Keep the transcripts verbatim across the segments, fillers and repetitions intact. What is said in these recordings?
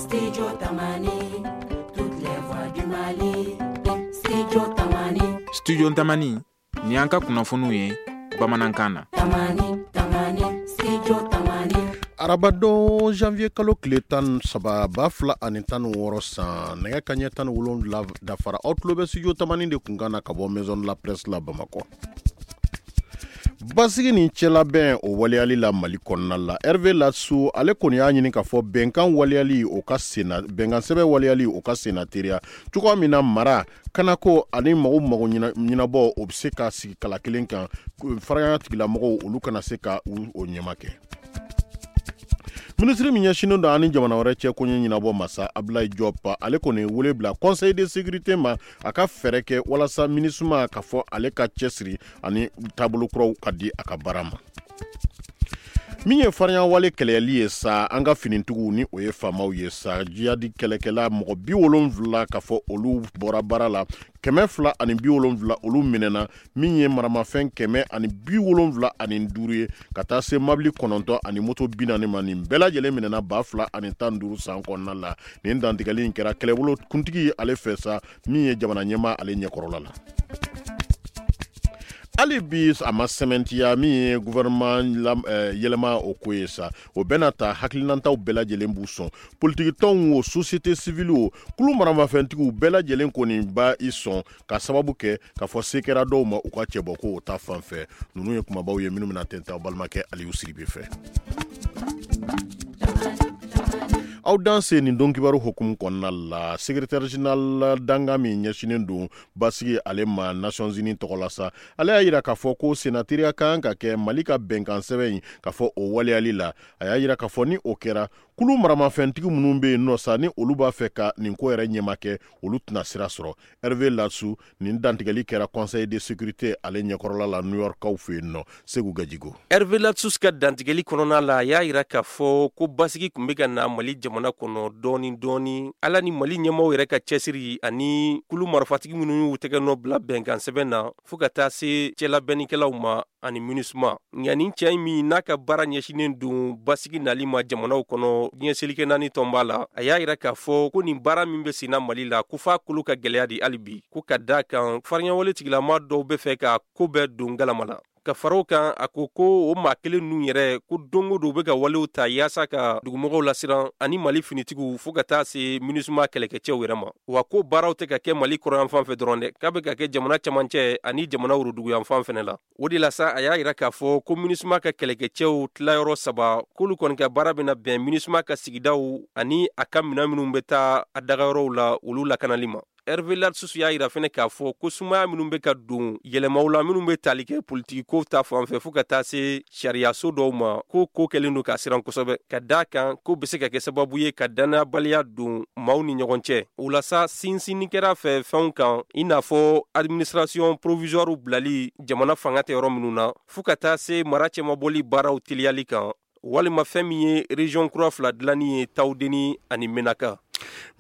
Studio Tamani, toutes les voix du Mali. Studio Tamani. Studio Tamani, ni an ka kunnafoniw ye bamanankan na. Tamani, Tamani, Studio Tamani. Arabadon janvier kalo tile tan saba ba fila ani tan wɔɔrɔ san, nɛgɛ kaɲɛ tan ni wolonwula dafara, aw tulo bɛ Studio Tamani de kunkan na ka bɔ Maison de la Presse la Bamakɔ. Basigi ni cɛlabɛn o waleyali la Mali kɔnɔna la, Hervé Ladsous ale kɔni y'a ɲini k'a fɔ bɛnkan waleyali o ka senna, bɛnkan sɛbɛn waleyali o ka senna teriya cogoya min na, mara kanako ani mago mago ɲɛnabɔ o bɛ se ka sigi kala kelen kan, faraya tigilamɔgɔw olu kana se ka o ɲɛma kɛ. Minisiri min ɲɛsinnen don ani jamana wɛrɛ cɛ koɲɛ ɲɛnabɔ masa Abdoulaye Diop, ale kɔni wele bila Conseil de sécurité ma, a ka fɛɛrɛ kɛ walasa MINUSMA ka fɔ ale ka cɛsiri ani taabolo kuraw ka di a ka baara ma. Min ye farinya-wale kɛlɛli ye sa, an ka finitigiw ni o ye faamaw ye sa, jihadi kɛlɛkɛla mɔgɔ bi wolonwula ka fɔ olu bɔra baara la, kɛmɛ fila ani bi wolonwula olu minɛna, min ye maramafɛn kɛmɛ ani bi wolonwula ani duuru ye, ka taa se mabili kɔnɔntɔn ani moto bi naani ma. Nin bɛɛ lajɛlen minɛna ba fila ani tan duuru san kɔnɔna la. Nin dantigɛli in kɛra kɛlɛbolo kuntigi ale fɛ sa, min ye jamana ɲɛmaa ale ɲɛkɔrɔla la. Hali bi a ma sɛmɛntiya min ye gouvernement yɛlɛma o ko ye sa, o bɛna ta hakilinataw bɛɛ lajɛlen b'u sɔn, politikitɔnw o, société civile o, kulu maramafɛntigiw bɛɛ lajɛlen kɔni ba i sɔn, ka sababu kɛ k'a fɔ se kɛra dɔw ma u ka cɛbɔ ko o ta fan fɛ. Ninnu ye kumabaw ye minnu bɛna tɛntɛn aw balimakɛ Aliyu Siribe fɛ. Aw danse nin don kibaru hukumu kɔnɔna la, secrétaire général danga min ɲɛsinnen don basigi ale ma Nations Unies tɔgɔ la sa, ale y'a yira k'a fɔ ko senatiriya kan ka kɛ Mali ka bɛnkan sɛbɛn in k'a fɔ o waleyali la. A y'a yira k'a fɔ ni o kɛra, kulu maramafɛntigi minnu bɛ yen nɔ sa, ni olu b'a fɛ ka nin ko yɛrɛ ɲɛma kɛ, olu tɛna sira sɔrɔ. Hervé Ladsous, nin dantigɛli kɛra Conseil de sécurité ale ɲɛkɔrɔla la New York kaw fɛ yen nɔ. Segu Gajigo. Hervé Ladsous ka dantigɛli kɔnɔna la, a y'a yira k'a fɔ ko basigi tun bɛ ka na Mali jamana kɔnɔ dɔɔni dɔɔni, ala ni Mali ɲɛmaw yɛrɛ ka cɛsiri ani kulu marifatigi minnu y'u tɛgɛ nɔ bila bɛnkan sɛbɛn na, fɔɔ ka taa se cɛlabɛnnikɛlaw ma ani MINUSMA. Nka nin cɛ min n'a ka baara ɲɛsinnen don basigi nali ma jamanaw kɔnɔ diɲɛ seleke naani tɔnba la, a y'a yira k'a fɔ ko nin baara min bɛ senna Mali la, ko f'a kolo ka gɛlɛya de hali bi, ko ka da kan farinyawale tigilama dɔw bɛ fɛ ka ko bɛɛ don galama la. Ka fara o kan, a ko ko o maa kelen ninnu yɛrɛ, ko don o don u bɛ ka walew ta yaasa ka dugumɔgɔw lasiran ani Mali finitigiw, fo ka taa se MINUSMA kɛlɛkɛcɛw yɛrɛ ma. Wa ko baaraw tɛ ka kɛ Mali kɔrɔyanfan fɛ dɔrɔn dɛ, k'a bɛ ka kɛ jamana camancɛ ani jamana woroduguyanfan fɛnɛ la. O de la sa, a y'a yira k'a fɔ ko MINUSMA ka kɛlɛkɛcɛw tilayɔrɔ saba, k'olu kɔni ka baara bɛna bɛn MINUSMA ka sigidaw ani a ka minɛn minnu bɛ taa a dagayɔrɔw la, olu lakanali ma. Hervé Ladsous y'a yira fɛnɛ k'a fɔ ko sumaya minnu bɛ ka don yɛlɛmaw la minnu bɛ tali kɛ politiki ko ta fan fɛ, fo ka taa se sariyaso dɔw ma, ko ko kɛlen don ka siran kosɛbɛ, ka da kan ko bɛ se ka kɛ sababu ye ka dannayabaliya don maaw ni ɲɔgɔn cɛ. O la sa, sinsinni kɛra fɛ fɛnw kan, i n'a fɔ administration provisoire bilali jamana fanga tɛ yɔrɔ minnu na, fo ka taa se mara cɛmabɔli baaraw teliyali kan, walima fɛn min ye région kura fila dilanni ye, Tawudeni ani Menaka.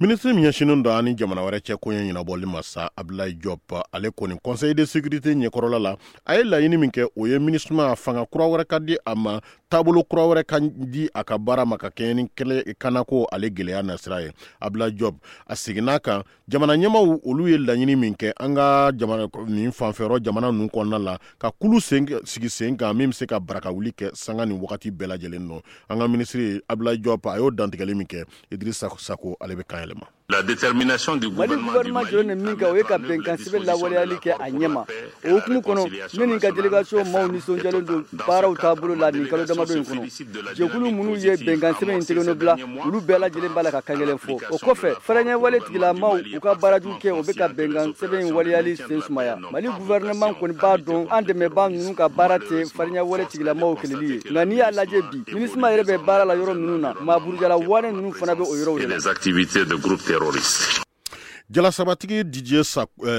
Minisiri min ɲɛsinnen don ani jamana wɛrɛ cɛ koɲɛ ɲɛnabɔli ma sa, Abdoulaye Diop, ale kɔni Conseil de sécurité ɲɛkɔrɔla la, a ye laɲini min kɛ, o ye MINUSMA fanga kura wɛrɛ ka di a ma, taabolo kura wɛrɛ ka di a ka baara ma, ka kɛɲɛ ni kɛlɛ kanako ale gɛlɛya nasira ye. Abdoulaye Diop a seginna kan, jamana ɲɛmaw olu ye laɲini min kɛ an ka jamana nin fanfɛyɔrɔ jamana ninnu kɔnɔna la, ka kulu sen sigi sen kan min bɛ se ka baraka wuli kɛ sanga ni wagati bɛɛ lajɛlen nɔ. An ka minisiri Abdoulaye Diop a y'o dantigɛli min kɛ, Idrissa Sako ale bɛ kan yɛlɛma. La détermination du Mali gouvernement jɔlen ni min kɛ, o ye ka bɛnkan sɛbɛn lawaleyali kɛ a ɲɛma. O hukumu kɔnɔ, ne ni n ka délégation maaw nisɔndiyalen don baaraw taabolo la nin kalo damadɔ in kɔnɔ. Jɛkulu minnu ye bɛnkan sɛbɛn in tɛgɛnɔ bila, olu bɛɛ lajɛlen b'a la ka kan kelen fɔ. O kɔfɛ, fɛrɛɲɛwale tigilamaw u ka baarajugu kɛ, o bɛ ka bɛnkan sɛbɛn in waleyali sen sumaya. Mali gouvernement kɔni b'a dɔn an dɛmɛbaa ninnu ka baara tɛ fariɲɛwale tigilamaw kɛlɛli ye. Nka n'i y'a lajɛ bi, MINUSMA yɛrɛ bɛ baara la yɔrɔ minnu na, maa burujala wane ninnu fana bɛ o yɔrɔw de la. Les activités de groupes terroristes. Jalasabatigi Didier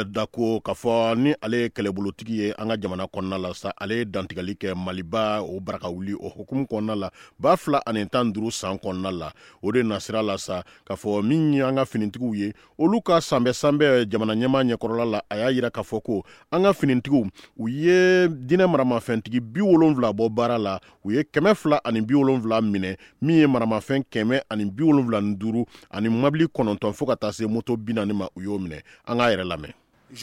Dako, k'a fɔ ni ale ye kɛlɛbolotigi ye an ka jamana kɔnɔna la sa, ale ye dantigɛli kɛ Maliba o baraka wuli o hukumu kɔnɔna la ba fila ani tan duuru san kɔnɔna la. O de nasira la sa, k'a fɔ min ye an ka finitigiw ye, olu ka sanbɛ sanbɛ jamana ɲɛmaa ɲɛkɔrɔla la, a y'a yira k'a fɔ ko an ka finitigiw u ye diinɛ maramafɛntigi bi wolonwula bɔ baara la, u ye kɛmɛ fila ani bi wolonwula minɛ, min ye maramafɛn kɛmɛ ani bi wolonwula ni duuru ani mobili kɔnɔntɔn fo ka taa se moto bi naani ma, u y'o minɛ. An k'a yɛrɛ lamɛn. N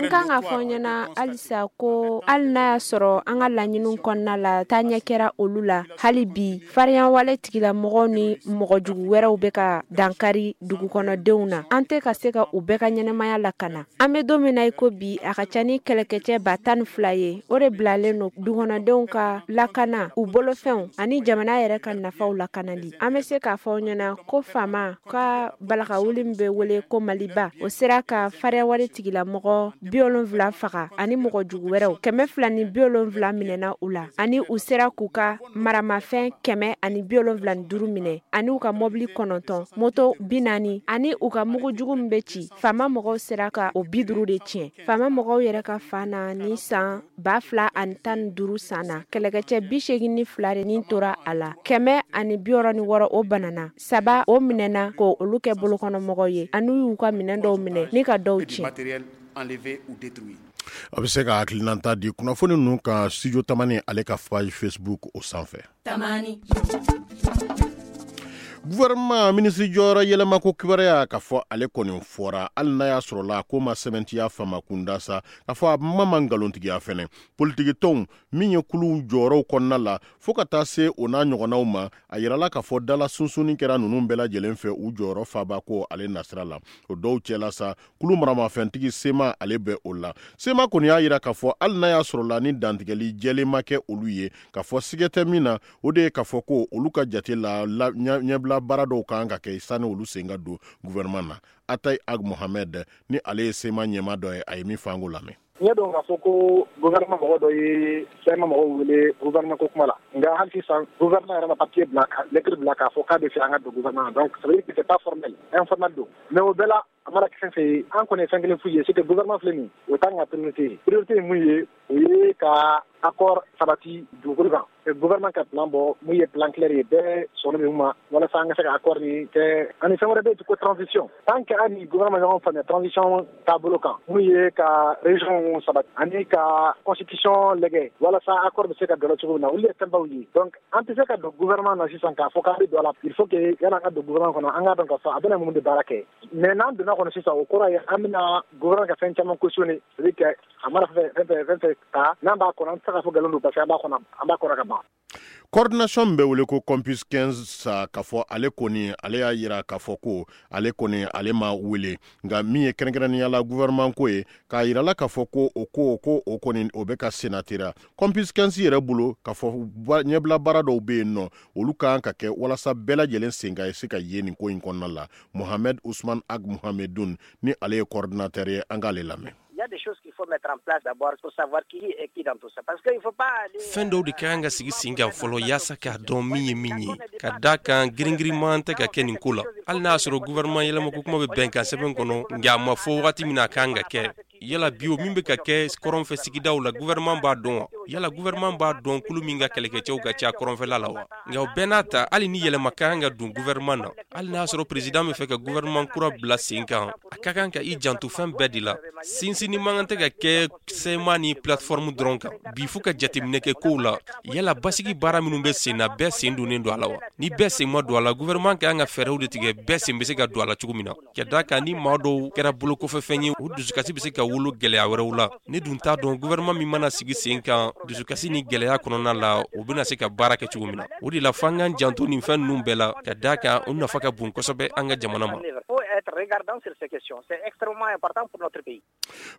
kan ka fɔ ɲɛna halisa ko hali n'a y'a sɔrɔ an ka laɲiniw kɔnɔna la taaɲɛ kɛra olu la, hali bi farinyawale tigilamɔgɔw ni mɔgɔjugu wɛrɛw bɛ ka dankari dugukɔnɔdenw na. An tɛ ka se ka u bɛɛ ka ɲɛnamaya lakana. An bɛ don min na i ko bi, a ka ca ni kɛlɛkɛcɛ ba tan ni fila ye, o de bilalen don dugukɔnɔdenw ka lakana, u bolofɛnw ani jamana yɛrɛ ka nafaw lakanali. An bɛ se k'a fɔ ɲɛna ko faama ka balakawuli min bɛ wele ko Maliba, o sera ka farinyawale tigilamɔgɔ bi wolonwula faga ani mɔgɔ jugu wɛrɛw kɛmɛ fila ni bi wolonwula minɛna u la, ani u sera k'u ka maramafɛn kɛmɛ ani bi wolonwula ni duuru minɛ, ani u ka mɔbili kɔnɔntɔn, moto bi naani, ani u ka mugu jugu min bɛ ci. Faama mɔgɔw sera ka o bi duuru de tiɲɛ. Faama mɔgɔw yɛrɛ ka fan na ni san ba fila ani tan ni duuru san na, kɛlɛkɛcɛ bi seegin ni fila de ni tora a la, kɛmɛ ani bi wɔɔrɔ ni wɔɔrɔ o banana, saba o minɛna ko olu kɛ bolokɔnɔmɔgɔw ye, ani y'u ka minɛn dɔw minɛ ni ka dɔw. A bɛ se ka hakilinata di kunnafoni ninnu kan Studio Tamani ale ka page Facebook o sanfɛ. Tamani. Gouvernement minisiri jɔyɔrɔ yɛlɛma ko kibaruya, k'a fɔ ale kɔni fɔra, hali n'a y'a sɔrɔ la ko ma sɛbɛntiya fama kunda sa, k'a fɔ a ma ma nkalontigiya fɛnɛ. Politiki tɔnw min ye kuluw jɔyɔrɔw kɔnɔna la fo ka taa se o n'a ɲɔgɔnnaw ma, a yirala k'a fɔ dala sunsunni kɛra ninnu bɛɛ lajɛlen fɛ u jɔyɔrɔ faba ko ale nasira la. O dɔw cɛla sa, kulu maramafɛntigi Sema ale bɛ o la. Sema kɔni y'a yira k'a fɔ hali n'a y'a sɔrɔ la ni dantigɛli jɛlen ma kɛ olu ye, k'a fɔ sigɛ tɛ min na, o de ye k'a fɔ ko olu ka jate la ɲɛbila baara dɔw kan ka kɛ sani olu sen ka don gouvernement na. Atayi Ag Mohamed ni ale ye Sema ɲɛmaa dɔ ye, a ye min fɔ an k'o lamɛn. N y'a dɔn k'a fɔ ko gouvernement mɔgɔ dɔ ye Sema mɔgɔw wele gouvernement ko kuma la, nka hali sisan gouvernement yɛrɛ ma papier bila, lettre bila k'a fɔ k'a bɛ fɛ an ka don gouvernement na. Donc ça veut dire que c'est pas formel, informel don. Mais o bɛɛ la, a mana kɛ fɛn fɛn ye, an kɔni ye fɛn kelen f'u ye, c'est que gouvernement filɛ nin ye, o t'an ka priorité ye. Priorité ye mun ye, o ye ka accord sabati dugukolo kan. Gouvernement ka plan bɔ mun ye plan clair ye, bɛɛ sɔnna min ma, walasa an ka se ka accord nin kɛ. Ani fɛn wɛrɛ bɛ yen ko transition. Tant que an ni gouvernement ɲɔgɔn faamuya transition taabolo kan, mun ye ka région sabati ani ka constitution lajɛ walasa accord bɛ se ka don cogo min na, olu ye fɛnbaw ye. Donc an tɛ se ka don gouvernement na sisan k'a fɔ k'an bɛ don a la. Il faut que yan'an ka don gouvernement kɔnɔ, an k'a dɔn k'a fɔ a bɛna mun de baara kɛ. Mais n'an donna kɔnɔ sisan, o kɔrɔ ye an bɛna gouvernement ka fɛn caman cautionner, c'est à dire que a mana fɛn fɛn fɛn fɛn ta n'an b'a kɔnɔ, an tɛ se k'a fɔ nkalon don parce que an b'a kɔnɔ, an b'a kɔnɔ ka ban. Coordination min bɛ wele ko Campus quinze sa, k'a fɔ ale kɔni ale y'a yira k'a fɔ ko ale kɔni ale ma wele, nka min ye kɛrɛnkɛrɛnnenya la gouvernement ko ye, k'a yira la k'a fɔ ko o ko ko o kɔni o bɛ ka senatera. Campus quinze yɛrɛ bolo, k'a fɔ ɲɛbila baara dɔw bɛ yen nɔ, olu kan ka kɛ walasa bɛɛ lajɛlen sen ka se ka ye nin ko in kɔnɔna la. Mohamed Ousmane Ag Mohamedou ni ale ye coordinateur ye, an k'ale lamɛn. Fɛn dɔw de ka kan ka sigi sen kan fɔlɔ yaasa k'a dɔn min ye min ye, ka da kan girin-girinman tɛ ka kɛ nin ko la. Hali n'a y'a sɔrɔ gouvernement yɛlɛmako kuma bɛ bɛnkan sɛbɛn kɔnɔ, nka a ma fɔ wagati min na a kan ka kɛ. Yala bi o min bɛ ka kɛ kɔrɔnfɛ sigidaw la, gouvernement b'a dɔn wa? Yala gouvernement b'a dɔn kulu min ka kɛlɛkɛcɛw ka ca kɔrɔnfɛla la wa? Nka o bɛɛ n'a ta, hali ni yɛlɛma ka kan ka don gouvernement na, hali n'a sɔrɔ président bɛ fɛ ka gouvernement kura bila sen kan, a ka kan ka i janto fɛn bɛɛ de la. Sinsinni man kan tɛ ka kɛ C M A ni plateforme dɔrɔn kan. Bi fo ka jateminɛ kɛ kow la. Yala basigi baara minnu bɛ sen na, bɛɛ sen donnen don a la wa? Ni bɛɛ sen ma don a la, gouvernement ka kan ka fɛɛrɛw de tigɛ bɛɛ sen bɛ se ka don a la cogo min na. Ka da kan ni maa dɔw kɛra bolokɔfɛfɛn ye, o dusukasi bɛ se ka wolo gɛlɛya wɛrɛw la. Ne dun t'a dɔn gouvernement min mana sigi sen kan dusukasi ni gɛlɛya kɔnɔna la, o bɛna se ka baara kɛ cogo min na. O de la f'an k'an janto nin fɛn ninnu bɛɛ la, ka da kan o nafa ka bon kosɛbɛ an ka jamana ma.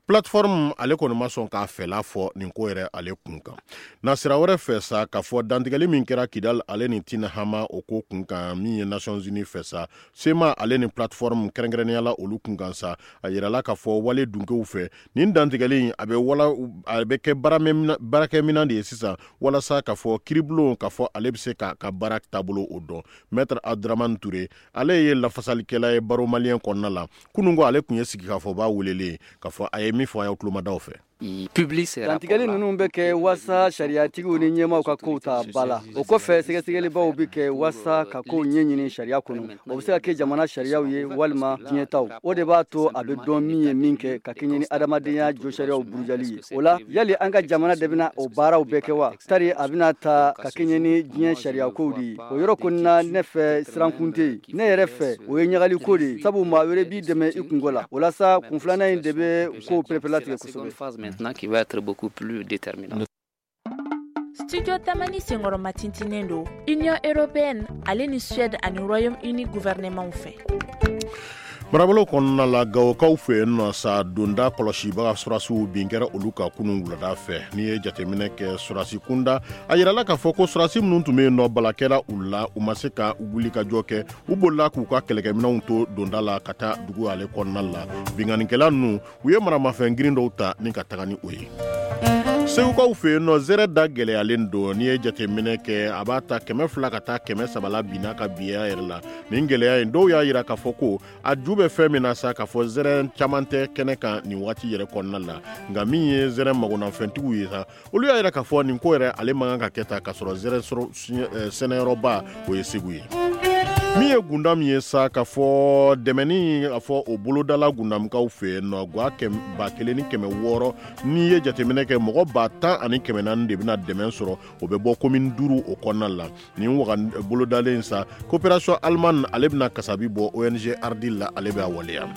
Plateforme ale kɔni ma sɔn k'a fɛla fɔ nin ko yɛrɛ ale kun kan. Na sira wɛrɛ fɛ sa, k'a fɔ dantigɛli min kɛra Kidal ale ni Tinahama o ko kun kan, min ye Nations Unies fɛ sa, C M A ale ni plateforme kɛrɛnkɛrɛnnenya la olu kun kan sa, a yirala k'a fɔ wale dunkew fɛ nin dantigɛli a bɛ wala a bɛ kɛ baarakɛminɛn de ye sisan walasa k'a fɔ kiiribulon k'a fɔ ale bɛ se k'a ka baara taabolo o dɔn. Maître Abdramane Touré, ale ye lafasalikɛla ye Barreau malien kɔnɔna la. Kunun ko ale tun ye sigikafɔba welelen k'a fɔ a ye min fɔ a y'aw tulomadaw fɛ. Dantigɛli ninnu bɛ kɛ waasa sariyatigiw ni ɲɛmaaw ka kow ta ba la. O kɔfɛ, sɛgɛsɛgɛlibaw bɛ kɛ waasa ka kow ɲɛɲini sariya kɔnɔ. O bɛ se ka kɛ jamana sariyaw ye walima diɲɛtaw. O de b'a to a bɛ dɔn min ye min kɛ ka kɛɲɛ ni adamadenya josariyaw burujali ye. O la, yali an ka jamana de bɛna o baaraw bɛɛ kɛ wa, tari a bɛna ta ka kɛɲɛ ni diɲɛ sariyakow de ye? O yɔrɔ kɔni na, ne fɛ, sirankun tɛ yen. Ne yɛrɛ fɛ, o ye ɲagaliko de ye, sabu maa wɛrɛ b'i dɛmɛ i kungo la. O la sa, kun filanan in de bɛ kow pereperelatigɛ kosɛbɛ. Maintenant qui va être beaucoup plus déterminant. Studio Tamani senkɔrɔma tintinen don Union européenne ale ni Suède ani Royaume-Uni gouvernement fɛ. Marabolo kɔnɔna la, Gawokaw fɛ yen nɔ sa, donda kɔlɔsibaga surasiw bin kɛra olu ka kunun wulada fɛ. N'i ye jateminɛ kɛ surasi kunda, a yirala k'a fɔ ko surasi minnu tun bɛ yen nɔ, bala kɛra u la, u ma se ka wuli ka jɔ kɛ. U bolila k'u ka kɛlɛkɛminɛnw to donda la ka taa dugu ale kɔnɔna la. Binkannikɛla ninnu, u ye maramafɛn girin dɔw ta ni ka taga ni o ye. Segukaw fɛ yen nɔ, zɛrɛ da gɛlɛyalen don. N'i ye jateminɛ kɛ, a b'a ta kɛmɛ fila ka taa kɛmɛ saba la binna ka biya yɛrɛ la. Nin gɛlɛya in, dɔw y'a yira k'a fɔ ko a ju bɛ fɛn min na sa, k'a fɔ zɛrɛ caman tɛ kɛnɛ kan nin waati yɛrɛ kɔnɔna la. Nka min ye zɛrɛ magonafɛntigiw ye sa, olu y'a yira k'a fɔ nin ko yɛrɛ ale man kan ka kɛ ta k'a sɔrɔ zɛrɛ sɛnɛyɔrɔba o ye Segu ye. Min ye gunda min ye sa, k'a fɔ dɛmɛni a fɔ o bolodala Gundamkaw fɛ yen nɔ, gwa ba kelen ni kɛmɛ wɔɔrɔ. N'i ye jateminɛ kɛ, mɔgɔ ba tan ani kɛmɛ naani de bɛna dɛmɛ sɔrɔ. O bɛ bɔ commune duuru o kɔnɔna la. Nin waga bolodalen sa, coopération allemande ale bɛna kasabi bɔ, O N G Ardil la ale bɛ a waleya.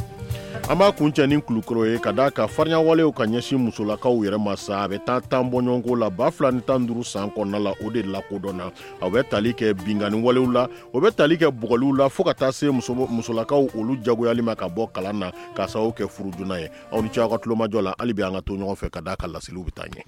An b'a kuncɛ ni Kulukɔrɔ ye, ka d'a ka farinyawalew ka ɲɛsin musolakaw yɛrɛ ma sa, a bɛ taa tan bɔɲɔgɔnko la ba fila ni tan duuru san kɔnɔna la. O de lakodɔnna, a bɛ tali kɛ binkanni walew la, o bɛ tali kɛ bugɔliw la, fo ka taa se musolakaw olu jagoyali ma ka bɔ kalan na k'a sababu kɛ furu joona ye. Aw ni ce aw ka tulomajɔ la. Hali bi an ka to ɲɔgɔn fɛ, ka d'a ka laseliw bɛ taa ɲɛ.